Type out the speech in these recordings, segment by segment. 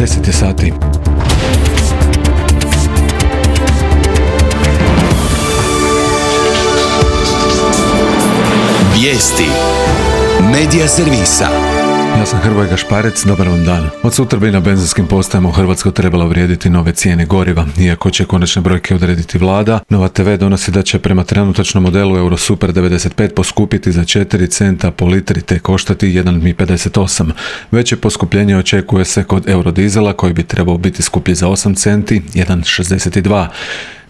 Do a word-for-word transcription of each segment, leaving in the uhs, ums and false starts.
deset je sati. Vijesti Medija servisa. Ja sam Hrvoje Gašparec, dobar vam dan. Od sutra bi na benzinskim postajama u Hrvatskoj trebalo vrijediti nove cijene goriva. Iako će konačne brojke odrediti vlada, Nova te ve donosi da će prema trenutačnom modelu Eurosuper devedeset pet poskupiti za četiri centa po litri te koštati jedan pedeset osam. Veće poskupljenje očekuje se kod Eurodizela koji bi trebao biti skuplji za osam centi, jedan šezdeset dva.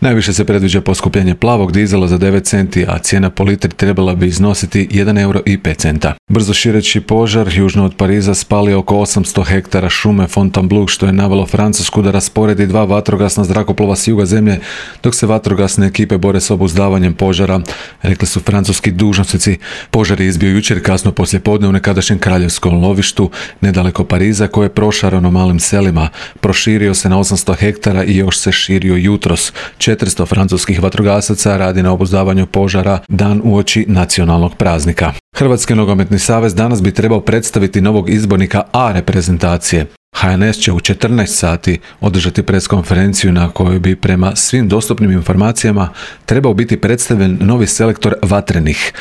Najviše se predviđa poskupljenje plavog dizela za devet centi, a cijena po litri trebala bi iznositi jedan euro i pet centa. Brzo šireći požar južno od Pariza spalio oko osamsto hektara šume Fontainebleau, što je navelo Francusku da rasporedi dva vatrogasna zrakoplova s juga zemlje, dok se vatrogasne ekipe bore s obuzdavanjem požara, rekli su francuski dužnosnici. Požar je izbio jučer kasno poslijepodne u nekadašnjem kraljevskom lovištu nedaleko Pariza, koje je prošarano malim selima. Proširio se na osamsto hektara i još se širio jutros. četiristo francuskih vatrogasaca radi na obuzdavanju požara dan uoči nacionalnog praznika. Hrvatski nogometni savez danas bi trebao predstaviti novog izbornika A reprezentacije. ha en es će u četrnaest sati održati preskonferenciju na kojoj bi prema svim dostupnim informacijama trebao biti predstavljen novi selektor Vatrenih.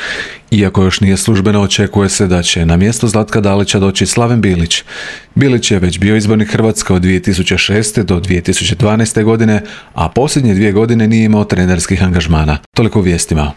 Iako još nije službeno, očekuje se da će na mjesto Zlatka Dalića doći Slaven Bilić. Bilić je već bio izbornik Hrvatske od dvije tisuće šeste do dvije tisuće dvanaeste godine, a posljednje dvije godine nije imao trenerskih angažmana. Toliko u vijestima.